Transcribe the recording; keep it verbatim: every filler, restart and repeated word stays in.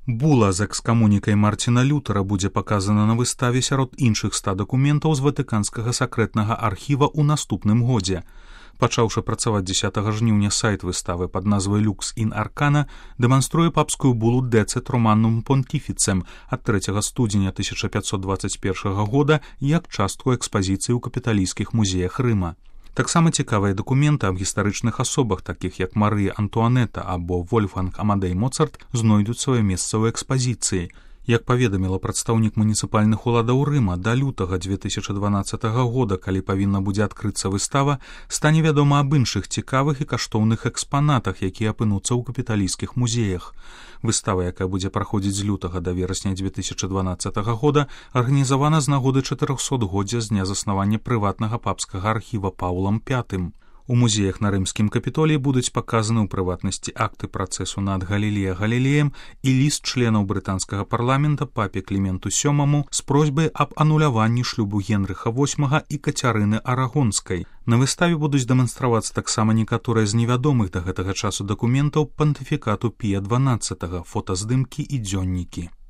Була з экскамунікай Марціна Лютера будзе паказана на выставе сярод іншых ста дакументаў з ватыканскага сакрэтнага архіва ў наступным годзе. Пачаўшы працаваць дзесятага жніўня сайт выставы пад назвай «Lux in Arcana» дэманструе папскую булу «Decet Romanum Pontificem» ад трэцяга студзеня тысяча пятьсот двадцать першага года як частку экспазіцыі ў капіталійскіх музеях Рыма. Таксама цікавыя дакументы аб гістарычных асобах, такіх як Марыя Антуанета або Вольфганг Амадей Моцарт, знойдуць сваё месца ў экспазіцыі. Як паведаміла прадстаўнік муніцыпальных уладаў Рыма, да лютага две тысячы дванаццатага года, калі павінна будзе адкрыцца выстава, стане вядома аб іншых цікавых і каштоўных экспанатах, якія апынуцца ў капіталійскіх музеях. Выстава, якая будзе праходзіць з лютага да верасня две тысячы дванаццатага года, арганізавана з нагоды чатырохсотгоддзя з дня заснавання прыватнага папскага архіва Паўлам пятым. У музеях на рымскім капітоліі будуць паказаны ў прыватнасці акты працэсу над Галілея Галілеем і ліст членаў брытанскага парламента папе Кліменту сёмаму з просьбай аб ануляванні шлюбу Генрыха восьмага і Кацярыны Арагонскай. На выставе будуць дэманстравацца таксама некаторыя з невядомых да гэтага часу дакументаў пантыфікату Пія дванаццатага, фотаздымкі і дзённікі.